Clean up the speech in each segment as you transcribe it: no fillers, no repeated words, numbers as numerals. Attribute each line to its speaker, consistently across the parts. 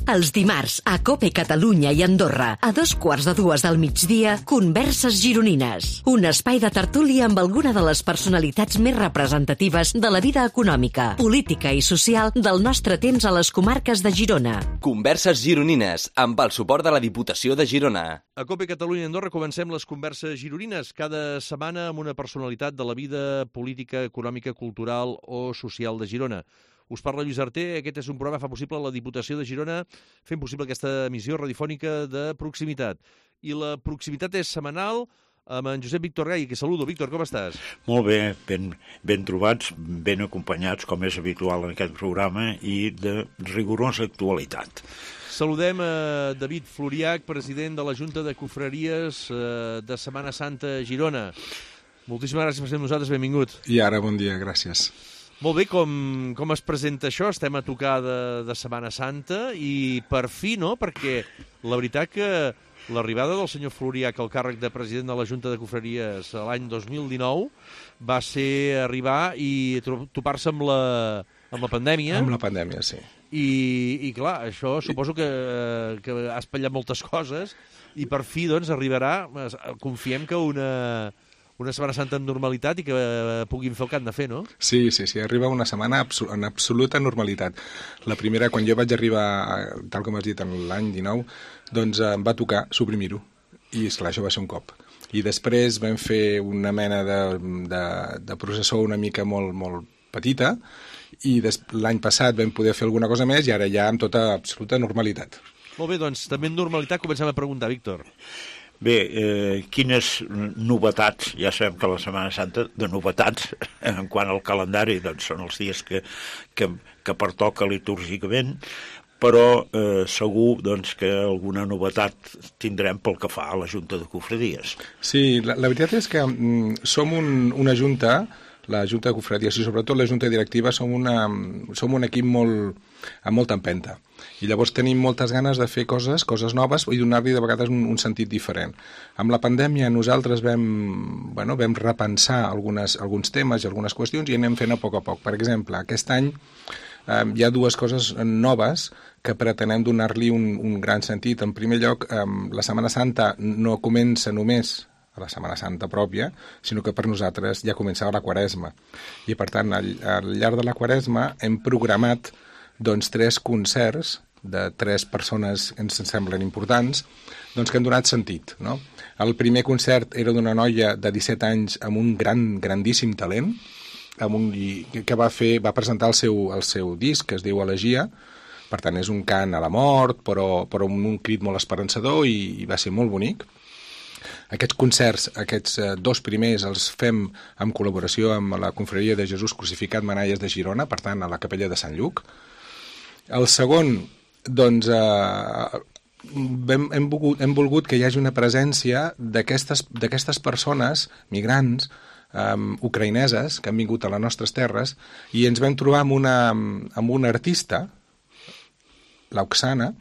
Speaker 1: Els dimarts, a COPE Catalunya i Andorra, a 2:15 del migdia, Converses Gironines. Un espai de tertúlia amb alguna de les personalitats més representatives de la vida econòmica, política i social del nostre temps a les comarques de Girona.
Speaker 2: Converses Gironines, amb el suport de la Diputació de Girona.
Speaker 3: A COPE Catalunya i Andorra comencem les Converses Gironines, cada setmana amb una personalitat de la vida política, econòmica, cultural o social de Girona. Us parla Lluís Arter, aquest és un programa que fa possible la Diputació de Girona, fent possible aquesta emissió radiofònica de proximitat. I la proximitat és setmanal amb en Josep Víctor Gai, que saludo. Víctor, com estàs?
Speaker 4: Molt bé, ben trobats, ben acompanyats, com és habitual en aquest programa, i de rigorosa actualitat.
Speaker 3: Saludem a David Floriach, president de la Junta de Cofreries de Setmana Santa a Girona. Moltíssimes gràcies per ser amb nosaltres, benvingut.
Speaker 5: I ara, bon dia, gràcies.
Speaker 3: Molt bé, com es presenta això? Estem a tocar de Setmana Santa i per fi, no? Perquè la veritat que l'arribada del senyor Floriach al càrrec de president de la Junta de Cofreries l'any 2019 va ser arribar i topar-se amb la pandèmia.
Speaker 5: Amb la pandèmia, sí.
Speaker 3: I clar, això suposo que ha espatllat moltes coses i per fi, doncs, arribarà, confiem que una Setmana Santa en normalitat i que puguin fer el que han de fer, no?
Speaker 5: Sí, arriba una setmana en absoluta normalitat. La primera, quan jo vaig arribar, tal com has dit, en l'any 19, doncs em va tocar suprimir-ho. I, esclar, això va ser un cop. I després vam fer una mena de processó una mica molt petita i l'any passat vam poder fer alguna cosa més i ara ja amb tota absoluta normalitat.
Speaker 3: Molt bé, doncs, també en normalitat comencem a preguntar, Víctor.
Speaker 4: Bé, quines novetats, ja sabem que la Setmana Santa, de novetats, en quant al calendari, doncs són els dies que pertoca litúrgicament, però segur doncs, que alguna novetat tindrem pel que fa a la Junta de Cofredies.
Speaker 5: Sí, la veritat és que som una junta, la Junta de Cofredies i sobretot la Junta Directiva som un equip amb molta empenta. I llavors tenim moltes ganes de fer coses noves i donar-li de vegades un sentit diferent. Amb la pandèmia nosaltres vam repensar alguns temes i algunes qüestions i anem fent a poc. Per exemple, aquest any hi ha dues coses noves que pretenem donar-li un gran sentit. En primer lloc, la Setmana Santa no comença només a la Setmana Santa pròpia, sinó que per nosaltres ja començava la Quaresma. I per tant, al llarg de la Quaresma hem programat 3 concerts de 3 persones que ens semblen importants, que han donat sentit, no? El primer concert era d'una noia de 17 anys amb un grandíssim talent, que va presentar el seu disc, que es diu Elegia. Per tant, és un cant a la mort, però amb un crit molt esperançador i va ser molt bonic. Aquests concerts, aquests 2 primers, els fem en col·laboració amb la Confraria de Jesús Crucificat Manalles de Girona, per tant, a la capella de Sant Lluc. El segon, doncs, hem volgut que hi hagi una presència d'aquestes persones, migrants, ucraïneses, que han vingut a les nostres terres, i ens vam trobar amb una artista, l'Oxana,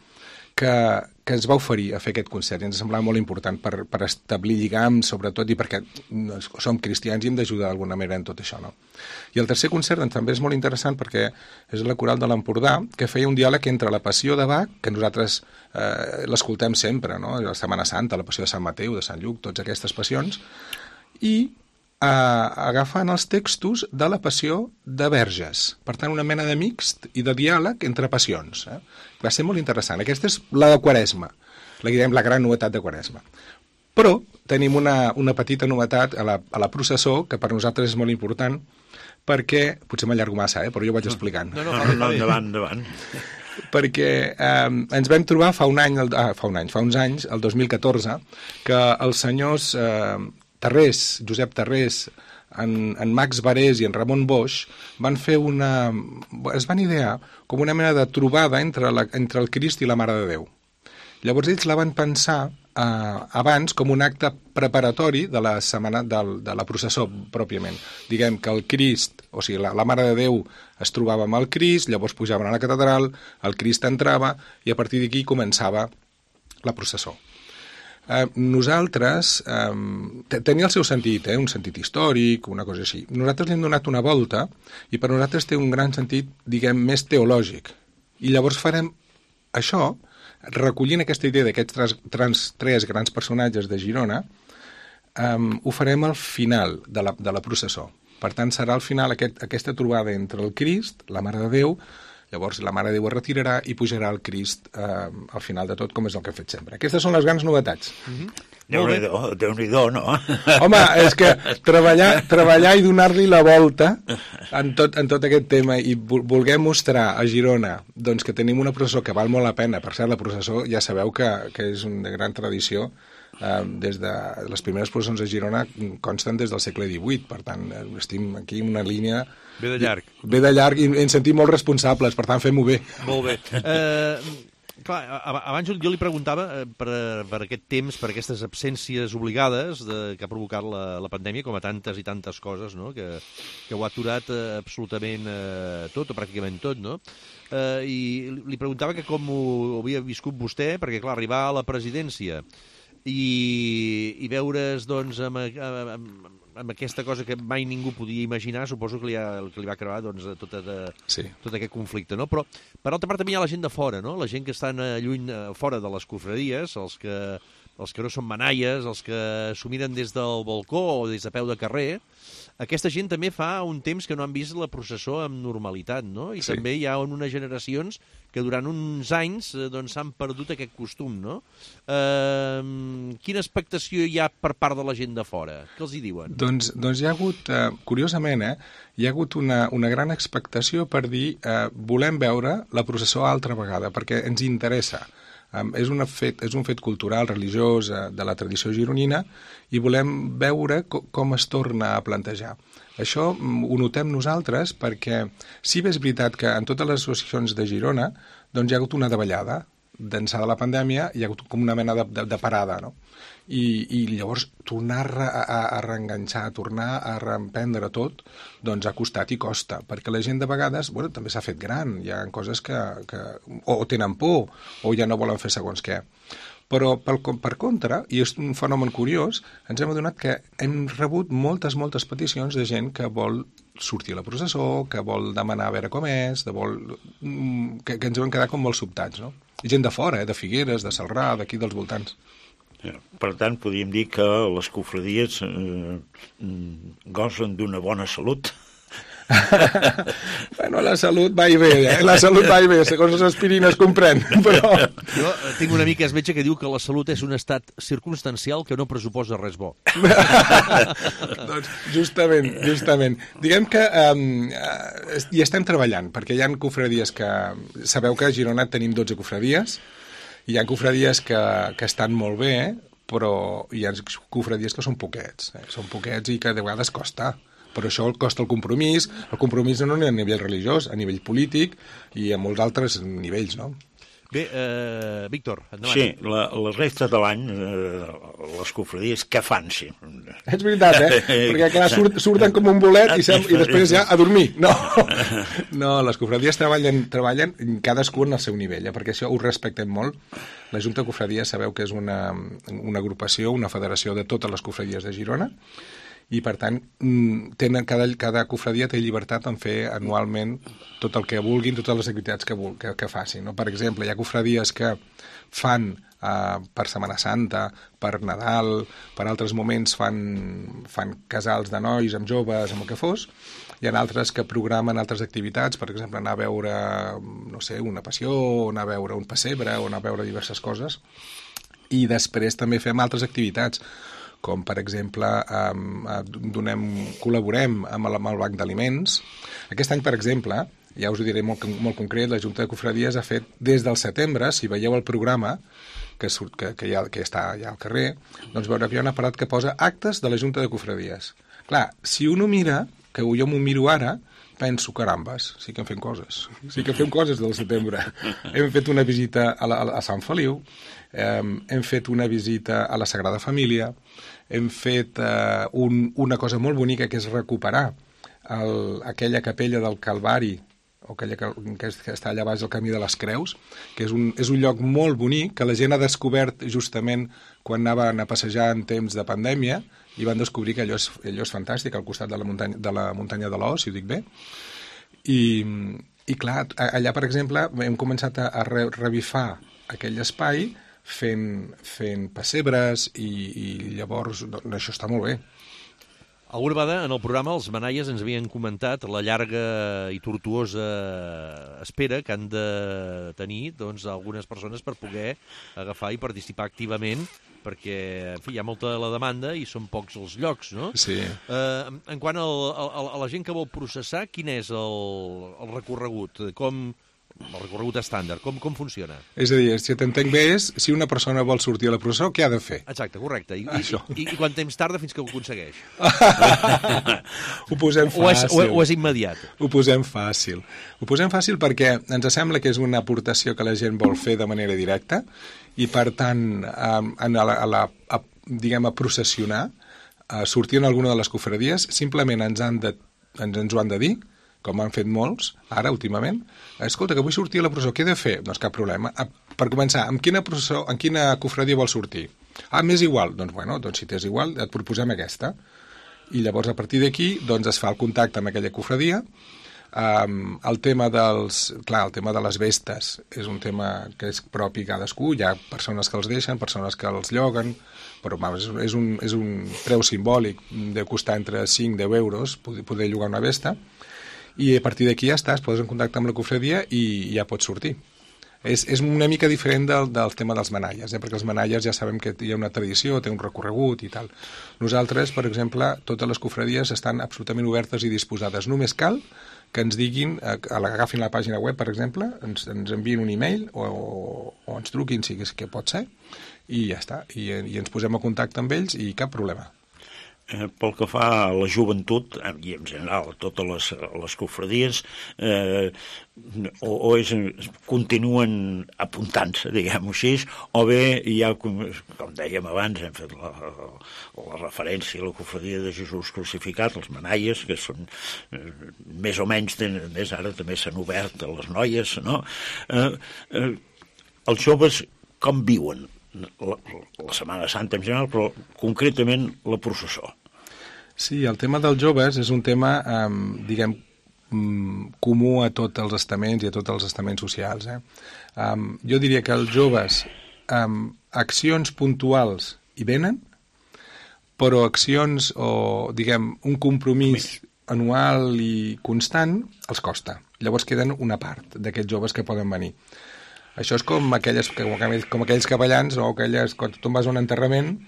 Speaker 5: que ens va oferir a fer aquest concert i ens semblava molt important per establir lligams, sobretot, i perquè som cristians i hem d'ajudar d'alguna manera en tot això, no? I el tercer concert també és molt interessant perquè és la Coral de l'Empordà, que feia un diàleg entre la Passió de Bach, que nosaltres l'escoltem sempre, no? La Setmana Santa, la Passió de Sant Mateu, de Sant Lluc, totes aquestes passions, i agafant els textos de la Passió de Verges. Per tant, una mena de mixt i de diàleg entre passions. Va ser molt interessant. Aquesta és la de Quaresma, la gran novetat de Quaresma. Però tenim una petita novetat a la processó, que per nosaltres és molt important, perquè, potser m'allargo massa, però jo vaig explicant.
Speaker 4: No, endavant.
Speaker 5: Perquè ens vam trobar fa uns anys, el 2014, que els senyors Josep Tarrés, en Max Barés i en Ramon Boix es van idear com una mena de trobada entre el Crist i la Mare de Déu. Llavors ells la van pensar abans com un acte preparatori de la setmana de la processó pròpiament. Diguem que el Crist, o sigui, la Mare de Déu es trobava amb el Crist, llavors pujaven a la catedral, el Crist entrava i a partir d'aquí començava la processó. Nosaltres, tenia el seu sentit, un sentit històric, una cosa així. Nosaltres li hem donat una volta i per nosaltres té un gran sentit, diguem, més teològic. I llavors farem això, recollint aquesta idea d'aquests tres grans personatges de Girona, ho farem al final de la processó. Per tant, serà al final aquesta trobada entre el Crist, la Mare de Déu, llavors la Mare de Déu es retirarà i pujarà el Crist al final de tot, com és el que hem fet sempre. Aquestes són les grans novetats.
Speaker 4: Déu-n'hi-do, no?
Speaker 5: Home, és que treballar i donar-li la volta en tot aquest tema i voler mostrar a Girona doncs, que tenim una processó que val molt la pena. Per cert, la processó ja sabeu que és una gran tradició. Des de les primeres processons a Girona consten des del segle XVIII, per tant estem aquí en una línia
Speaker 3: ve de
Speaker 5: llarg i ens sentim molt responsables, per tant fem-ho bé.
Speaker 3: Molt bé. Clar, abans jo li preguntava per aquest temps, per aquestes absències obligades que ha provocat la pandèmia, com a tantes i tantes coses, no? que ho ha aturat absolutament tot, o pràcticament tot, no? I li preguntava que com ho havia viscut vostè, perquè clar, arribar a la presidència i veure's doncs, amb aquesta cosa que mai ningú podia imaginar, suposo que li va crear doncs, tot aquest conflicte, no? Però per altra part també hi ha la gent de fora, no? La gent que estan lluny, fora de les cofradies, els que no són manaies, els que s'ho miren des del balcó o des de peu de carrer. Aquesta gent també fa un temps que no han vist la processó amb normalitat, no? I sí. També hi ha unes generacions que durant uns anys doncs, s'han perdut aquest costum, no? Quina expectació hi ha per part de la gent de fora? Què els hi diuen?
Speaker 5: Doncs hi ha hagut, curiosament, hi ha hagut una gran expectació per dir volem veure la processó altra vegada, perquè ens interessa. És un fet cultural, religiós, de la tradició gironina, i volem veure com es torna a plantejar. Això ho notem nosaltres perquè sí bé és veritat que en totes les associacions de Girona doncs hi ha hagut una davallada. D'ençà de la pandèmia hi ha hagut com una mena de parada, no? I llavors tornar a reenganxar, tornar a reemprendre tot, doncs ha costat i costa, perquè la gent de vegades, bueno, també s'ha fet gran, hi ha coses que o tenen por, o ja no volen fer segons què. Però, per contra, i és un fenomen curiós, ens hem adonat que hem rebut moltes peticions de gent que vol sortir a la processó, que vol demanar a veure com és, que ens vam quedar com molt sobtats, no? I gent de fora, de Figueres, de Celrà, d'aquí dels voltants.
Speaker 4: Per tant, podríem dir que les cofradies gocen d'una bona salut.
Speaker 5: Bueno, la salut va i ve, La salut va i ve, segons les aspirines comprèn, però...
Speaker 3: Jo tinc un amic que és metge que diu que la salut és un estat circumstancial que no pressuposa res bo.
Speaker 5: Doncs justament. Diguem que hi estem treballant, perquè hi ha cofradies que... Sabeu que a Girona tenim 12 cofradies, hi ha cofradies que estan molt bé, però hi ha cofradies que són poquets. Són poquets i que de vegades costa. Però això costa el compromís no a nivell religiós, a nivell polític i a molts altres nivells, no?
Speaker 3: Bé, Víctor, endavant.
Speaker 4: Sí, la resta de l'any, les cofradies, què fan, sí?
Speaker 5: És veritat, Perquè clar, surten com un bolet i després ja a dormir. No, les cofradies treballen cadascú en el seu nivell, perquè això ho respectem molt. La Junta de Cofradies sabeu que és una agrupació, una federació de totes les cofradies de Girona, i per tant cada cofradia té llibertat en fer anualment tot el que vulguin, totes les activitats que facin, no? Per exemple, hi ha cofradies que fan per Setmana Santa, per Nadal, per altres moments fan casals de nois amb joves, amb el que fos. Hi ha altres que programen altres activitats, per exemple, anar a veure, no sé, una passió, o anar a veure un pessebre, o anar a veure diverses coses. I després també fem altres activitats, com per exemple col·laborem amb el Banc d'Aliments. Aquest any, per exemple, ja us ho diré molt concret, la Junta de Cofradies ha fet des del setembre, si veieu el programa que està ja al carrer, doncs veureu que hi ha un aparat que posa actes de la Junta de Cofradies. Clar, si un ho mira, que jo m'ho miro ara, penso, carambes, sí que fem coses del setembre. Hem fet una visita a Sant Feliu, hem fet una visita a la Sagrada Família, hem fet una cosa molt bonica que és recuperar aquella capella del Calvari, o aquella que està allà baix del Camí de les Creus, que és un lloc molt bonic que la gent ha descobert justament quan anaven a passejar en temps de pandèmia i van descobrir que allò és fantàstic al costat de la muntanya de l'Os, si ho dic bé, i I clar, allà, per exemple, hem començat a revifar aquell espai fent pessebres i llavors doncs, això està molt bé.
Speaker 3: Alguna vegada en el programa els manaies ens havien comentat la llarga i tortuosa espera que han de tenir doncs, algunes persones per poder agafar i participar activament, perquè en fi, hi ha molta la demanda i són pocs els llocs, no?
Speaker 5: Sí.
Speaker 3: En quant a la gent que vol processar, quin és el recorregut? El recorregut estàndard, com funciona?
Speaker 5: És a dir, si t'entenc bé és, si una persona vol sortir a la processó, què ha de fer?
Speaker 3: Exacte, correcte. I quant temps tarda fins que ho aconsegueix?
Speaker 5: Ho posem fàcil.
Speaker 3: O és immediat?
Speaker 5: Ho posem fàcil. Ho posem fàcil perquè ens sembla que és una aportació que la gent vol fer de manera directa i, per tant, diguem, a processionar, a sortir en alguna de les cofradies, simplement ens ho han de dir, com han fet molts, ara, últimament. Escolta, que vull sortir a la processó, què he de fer? Doncs cap problema. Per començar, en quina cofradia vols sortir? M'és igual. Doncs si t'és igual, et proposem aquesta. I llavors, a partir d'aquí, doncs es fa el contacte amb aquella cofradia. El tema de les vestes és un tema que és propi cadascú. Hi ha persones que els deixen, persones que els lloguen, però és un preu simbòlic de costar entre 5 i 10 euros poder llogar una vesta. I a partir d'aquí ja està, es poses en contacte amb la cofradia i ja pots sortir. És una mica diferent del tema dels manaies, perquè els manaies ja sabem que hi ha una tradició, té un recorregut i tal. Nosaltres, per exemple, totes les cofradies estan absolutament obertes i disposades. Només cal que ens diguin, agafin la pàgina web, per exemple, ens envien un e-mail o ens truquin, si és que pot ser, i ja està. I ens posem a contacte amb ells i cap problema.
Speaker 4: Pel que fa a la joventut, i en general a totes les cofradies, continuen apuntant-se, diguem-ho així, o bé hi ha, com dèiem abans, hem fet la referència a la cofradia de Jesús crucificat, els manaies, que són més o menys, més ara també s'han obert a les noies, no? Els joves com viuen la Setmana Santa en general, però concretament la processó?
Speaker 5: Sí, el tema dels joves és un tema, diguem, comú a tots els estaments i a tots els estaments socials. Jo diria que els joves, accions puntuals hi venen, però accions o, diguem, un compromís anual i constant els costa. Llavors queden una part d'aquests joves que poden venir. Això és com aquells capellans o aquelles, quan tu vas a un enterrament,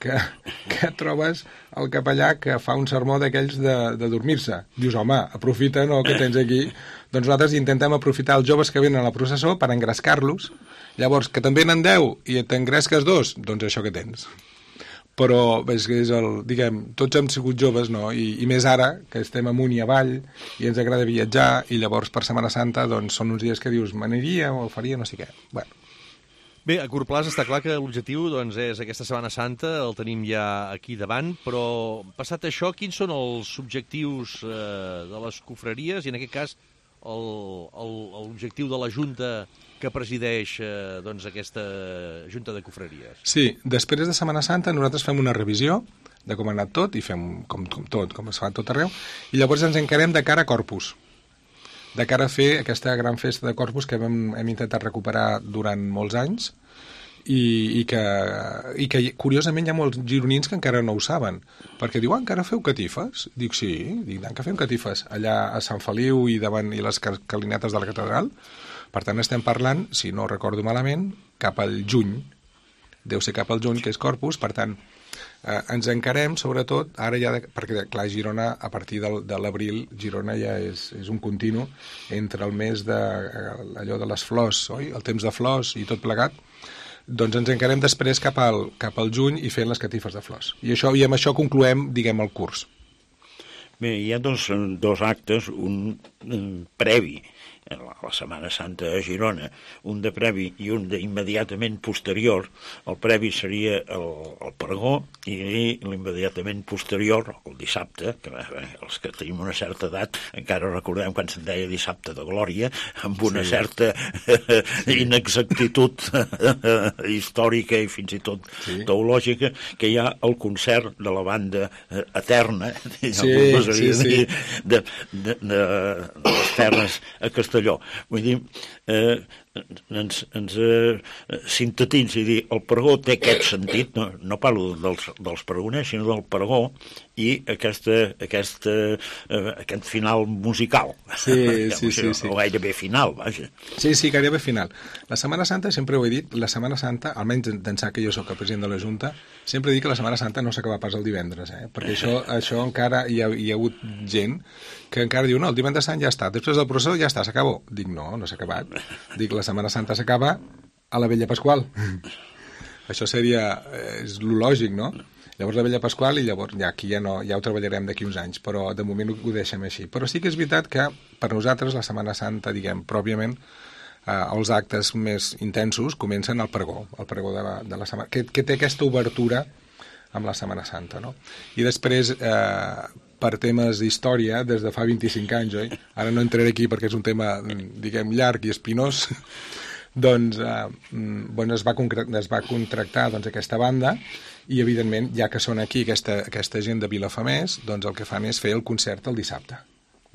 Speaker 5: que trobes el capellà que fa un sermó d'aquells de dormir-se. Dius, home, aprofita, no?, que tens aquí. Doncs nosaltres intentem aprofitar els joves que venen a la processó per engrescar-los. Llavors, que te'n venen 10 i t'engresques 2, doncs això que tens. Però diguem, tots hem sigut joves, no? I més ara, que estem amunt i avall i ens agrada viatjar, i llavors per Setmana Santa doncs són uns dies que dius, m'aniria o faria no sé què. Bueno.
Speaker 3: Bé, a curt plaç està clar que l'objectiu doncs, és aquesta Setmana Santa, el tenim ja aquí davant, però passat això, quins són els objectius de les cofreries i en aquest cas l'objectiu de la Junta que presideix doncs, aquesta Junta de Cofreries?
Speaker 5: Sí, després de Setmana Santa nosaltres fem una revisió de com ha anat tot i fem com es fa tot arreu, i llavors ens encarem de cara a Corpus, de cara a fer aquesta gran festa de Corpus que hem intentat recuperar durant molts anys i que curiosament hi ha molts gironins que encara no ho saben, perquè diuen, encara feu catifes? Dic, sí, que fem catifes allà a Sant Feliu i davant i les calinetes de la catedral. Per tant, estem parlant, si no recordo malament, cap al juny. Deu ser cap al juny, que és Corpus, per tant, ens encarem, sobretot, ara ja, perquè, clar, Girona, a partir de l'abril, Girona ja és un continu entre el mes allò de les flors, oi? El temps de flors i tot plegat, doncs ens encarem després cap al juny i fent les catifes de flors. I amb això concloem, diguem, el curs.
Speaker 4: Bé, hi ha dos actes, un previ a la Setmana Santa a Girona, un de previ i un d'immediatament posterior. El previ seria el pregó i l'immediatament posterior, el dissabte, que els que tenim una certa edat encara recordem quan se'n deia dissabte de glòria, amb una certa inexactitud històrica i fins i tot teològica, que hi ha el concert de la banda eterna, de les terres a Castelló Castelló. Vull dir, ens sintetitza i dir, el pregó té aquest sentit, no parlo dels pregoners, sinó del pregó i aquest final musical.
Speaker 5: Sí.
Speaker 4: O gairebé final, vaja.
Speaker 5: Sí, gairebé final. La Setmana Santa, sempre ho he dit, la Setmana Santa, almenys d'ençà que jo soc el president de la Junta, sempre dic que la Setmana Santa no s'acaba pas el divendres, perquè això encara hi ha hagut gent que encara diu, no, el divendres sant ja està, després del procés ja està, s'acabó. Dic, no s'ha acabat. Dic, la Setmana Santa s'acaba a la Vella Pasqual. Això és lo lògic, no? Llavors la Vella Pasqual i llavors aquí ja ho treballarem d'aquí uns anys, però de moment ho deixem així. Però sí que és veritat que per nosaltres la Setmana Santa, diguem, pròpiament, els actes més intensos comencen al pregó de la setmana, que té aquesta obertura amb la Setmana Santa, no? I després, per temes d'història, des de fa 25 anys, oi? Ara no entraré aquí perquè és un tema, diguem, llarg i espinós, doncs es va contractar aquesta banda i, evidentment, ja que són aquí aquesta gent de Vilafamés, doncs el que fan és fer el concert el dissabte.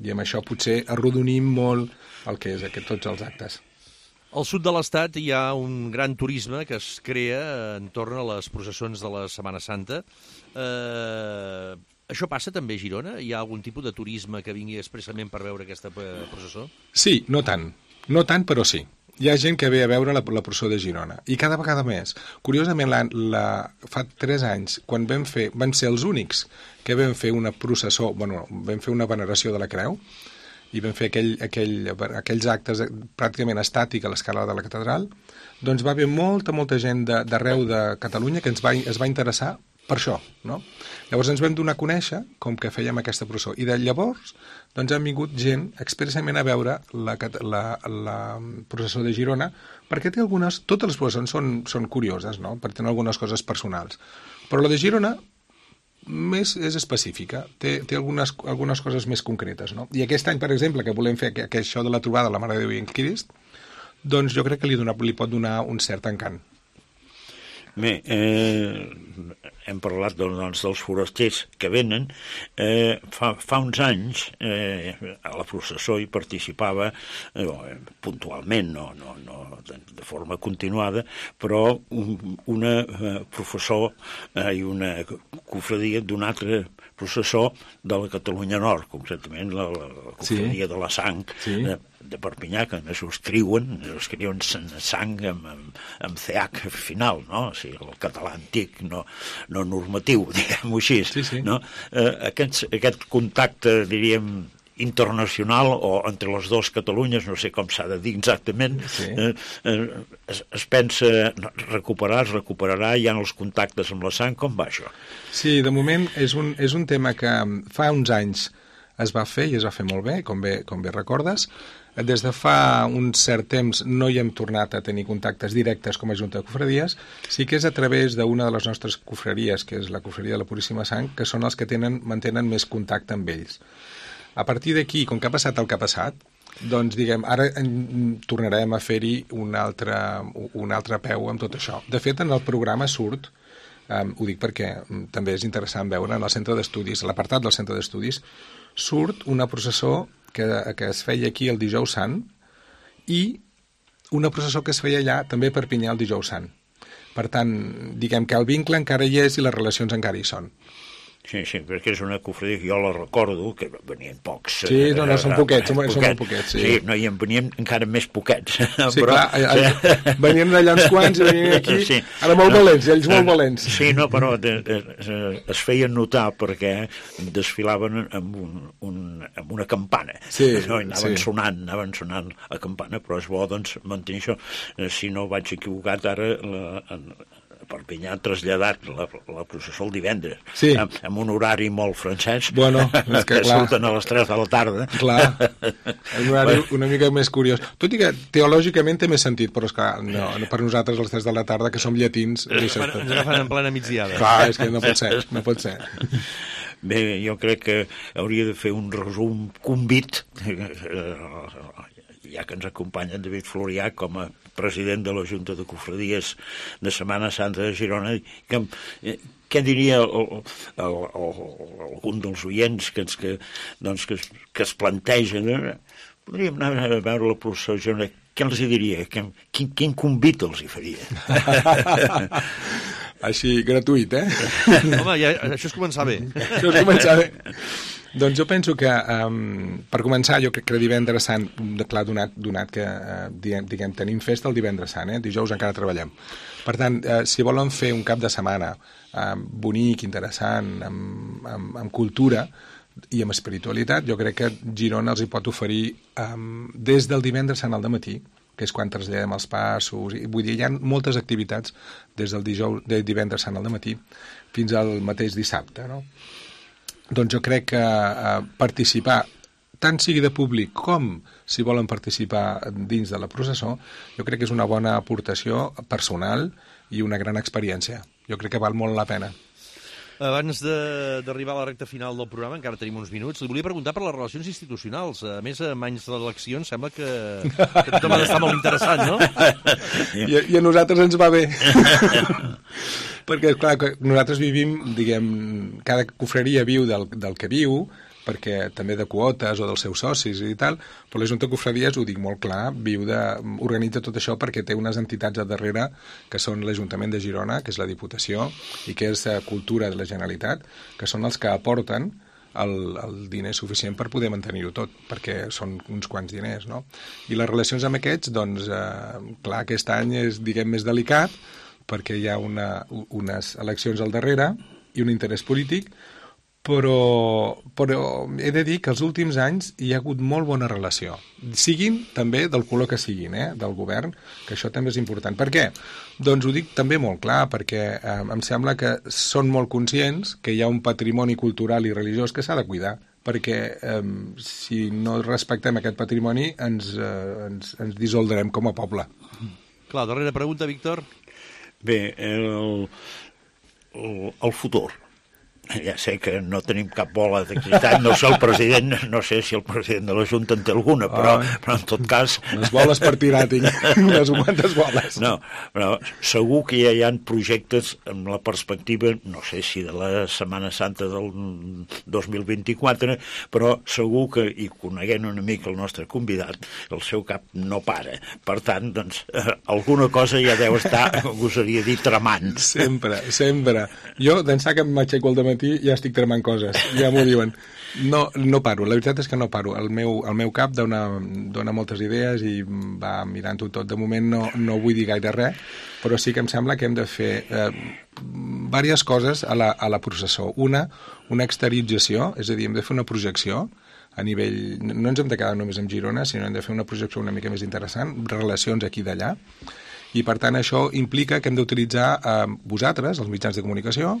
Speaker 5: I amb això potser arrodonim molt el que és tots els actes.
Speaker 3: Al sud de l'Estat hi ha un gran turisme que es crea entorn a les processons de la Setmana Santa. Això passa també a Girona? Hi ha algun tipus de turisme que vingui expressament per veure aquesta processó? Sí,
Speaker 5: no tant, però sí. Hi ha gent que ve a veure la processó de Girona, i cada vegada més. Curiosament, fa 3 anys, quan vam ser els únics que vam fer una processó, vam fer una veneració de la Creu, i vam fer aquells actes pràcticament estàtics a l'escala de la catedral, doncs va haver molta gent d'arreu de Catalunya que es va interessar per això, no? Llavors ens vam donar a conèixer com que fèiem aquesta processó, i de llavors doncs han vingut gent expressament a veure la processó de Girona, perquè totes les processons són curioses, no? Perquè tenen algunes coses personals, però la de Girona més és específica, té algunes coses més concretes, no? I aquest any, per exemple, que volem fer això de la trobada de la Mare de Déu i en Crist, doncs jo crec que li pot donar un cert encant.
Speaker 4: Bé, hem parlat doncs, dels forasters que venen. Fa uns anys a la processó hi participava puntualment, no de forma continuada, però una professor i una cofradia d'un altre processó de la Catalunya Nord, concretament la cofradia de la Sang, de Perpinyà, que més ho escriuen sang amb CH final, no? O sigui, el català antic, no normatiu, diguem-ho així. No? Aquest contacte, diríem, internacional o entre les dues Catalunyes, no sé com s'ha de dir exactament, es pensa es recuperarà, hi ha els contactes amb la Sang, com va això?
Speaker 5: Sí, de moment és un tema que fa uns anys es va fer, i es va fer molt bé, com bé recordes. Des de fa un cert temps no hi hem tornat a tenir contactes directes com a Junta de Cofradies, sí que és a través d'una de les nostres cofreries, que és la cofreria de la Puríssima Sang, que són els que mantenen més contacte amb ells. A partir d'aquí, com que ha passat el que ha passat, doncs, diguem, ara tornarem a fer-hi un altre peu amb tot això. De fet, en el programa surt, ho dic perquè també és interessant veure, en el centre d'estudis, a l'apartat del centre d'estudis, surt una processó que es feia aquí el Dijous Sant i una processó que es feia allà també a Perpinyà el Dijous Sant. Per tant, diguem que el vincle encara hi és i les relacions encara hi són.
Speaker 4: Sí, perquè és una cofradia que jo la recordo, que venien pocs.
Speaker 5: Sí, són poquets, són molt poquets.
Speaker 4: Sí, no, i en venien encara més poquets.
Speaker 5: Sí, clar, venien d'allà uns quants i venien aquí, ara molt valents, ells molt valents.
Speaker 4: Sí, no, però es feien notar perquè desfilaven amb una campana. Anaven sonant la campana, però és bo, doncs, mantenir això. Si no vaig equivocat, ara Perpinyà ha traslladat la processó el divendres, amb un horari molt francès, que surten a les 3 de la tarda.
Speaker 5: Clar, un horari una mica més curiós. Tot i que teològicament té més sentit, però és que per nosaltres a les 3 de la tarda, que som llatins...
Speaker 3: Ens agafen en plena migdiada.
Speaker 5: Clar, és que no pot ser.
Speaker 4: Bé, jo crec que hauria de fer un resum convit, ja que ens acompanya en David Florià com a president de la Junta de Cofradies de Setmana Santa de Girona, què diria algun dels oients que es plantegen podríem anar a veure la processó de Girona. Què els hi diria? Quin convit els hi faria?
Speaker 5: Així, gratuït,
Speaker 3: Home, això és començar bé.
Speaker 5: Això és començar bé. Doncs jo penso que, per començar, jo crec que divendres sant, clar, donat que diguem, tenim festa el divendres sant, dijous encara treballem. Per tant, si volen fer un cap de setmana bonic, interessant, amb cultura i amb espiritualitat, jo crec que Girona els hi pot oferir des del divendres sant al dematí, que és quan traslladem els passos, vull dir, hi ha moltes activitats des del divendres sant al dematí fins al mateix dissabte, no? Doncs jo crec que participar, tant sigui de públic com si volen participar dins de la processó, jo crec que és una bona aportació personal i una gran experiència. Jo crec que val molt la pena.
Speaker 3: Abans d'arribar a la recta final del programa, encara tenim uns minuts, li volia preguntar per les relacions institucionals. A més, amb anys d'eleccions sembla que tothom ha d'estar molt interessant, no?
Speaker 5: I a nosaltres ens va bé. Perquè, clar, nosaltres vivim, diguem, cada confraria viu del que viu, perquè també de quotes o dels seus socis i tal, però la Junta de Confraries, ho dic molt clar, organitza tot això perquè té unes entitats a darrere que són l'Ajuntament de Girona, que és la Diputació, i que és Cultura de la Generalitat, que són els que aporten el diner suficient per poder mantenir-ho tot, perquè són uns quants diners, no? I les relacions amb aquests, doncs, clar, aquest any és, diguem, més delicat, perquè hi ha unes eleccions al darrere i un interès polític, però he de dir que els últims anys hi ha hagut molt bona relació. Siguin també del color que siguin, del govern, que això també és important. Per què? Doncs ho dic també molt clar, perquè em sembla que són molt conscients que hi ha un patrimoni cultural i religiós que s'ha de cuidar, perquè si no respectem aquest patrimoni ens dissoldrem com a poble.
Speaker 3: Clar, darrera pregunta, Víctor.
Speaker 4: Bé, el futur. Ja sé que no tenim cap bola de cristall, no sé el president, no sé si el president de la Junta en té alguna, però en tot cas...
Speaker 5: Les boles per tirar, tinc unes quantes boles.
Speaker 4: No, però segur que ja hi ha projectes amb la perspectiva, no sé si de la Setmana Santa del 2024, però segur que, i coneguent una mica el nostre convidat, el seu cap no para. Per tant, doncs, alguna cosa ja deu estar, gosaria dir, tramant.
Speaker 5: Sempre, sempre. Jo, d'ençà que m'aixeco al dematí, ja estic tramant coses, ja m'ho diuen. No paro, la veritat és que no paro. El meu cap dona moltes idees i va mirant-ho tot. De moment no vull dir gaire res, però sí que em sembla que hem de fer diverses coses a la processó. Una exteriorització, és a dir, hem de fer una projecció a nivell... No ens hem de quedar només amb Girona, sinó hem de fer una projecció una mica més interessant, relacions aquí i d'allà. I, per tant, això implica que hem d'utilitzar vosaltres, els mitjans de comunicació,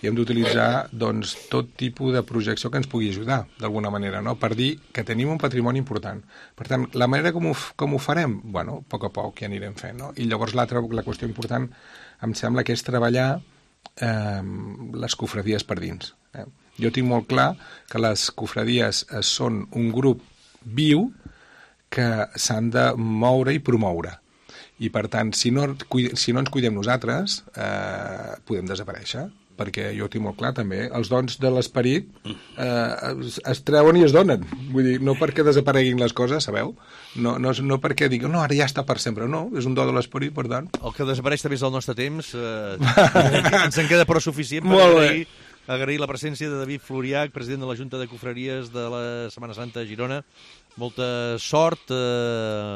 Speaker 5: i hem d'utilitzar doncs, tot tipus de projecció que ens pugui ajudar, d'alguna manera, no? Per dir que tenim un patrimoni important. Per tant, la manera com ho farem? Bueno, a poc ja anirem fent, no? I llavors la qüestió important em sembla que és treballar les cofradies per dins. Jo tinc molt clar que les cofradies són un grup viu que s'han de moure i promoure. I, per tant, si no ens cuidem nosaltres, podem desaparèixer, perquè jo ho tinc molt clar, també. Els dons de l'esperit es treuen i es donen. Vull dir, no perquè desapareguin les coses, sabeu? No perquè diguin, no, ara ja està per sempre. No, és un do de l'esperit, per tant.
Speaker 3: El que desapareix també és el nostre temps. Ens en queda prou suficient per agrair la presència de David Floriach, president de la Junta de Confraries de la Setmana Santa a Girona. Molta sort,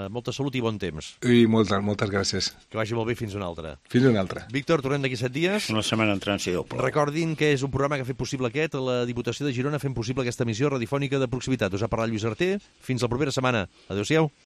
Speaker 3: molta salut i bon temps.
Speaker 5: I moltes gràcies.
Speaker 3: Que vagi molt bé fins una altra.
Speaker 5: Fins una altra.
Speaker 3: Víctor, tornem d'aquí 7 dies.
Speaker 4: Una setmana en trànsit doble.
Speaker 3: Recordin que és un programa que ha fet possible aquest, la Diputació de Girona fent possible aquesta emissió radiofònica de proximitat. Us ha parlat Lluís Arter. Fins la propera setmana. Adéu-siau.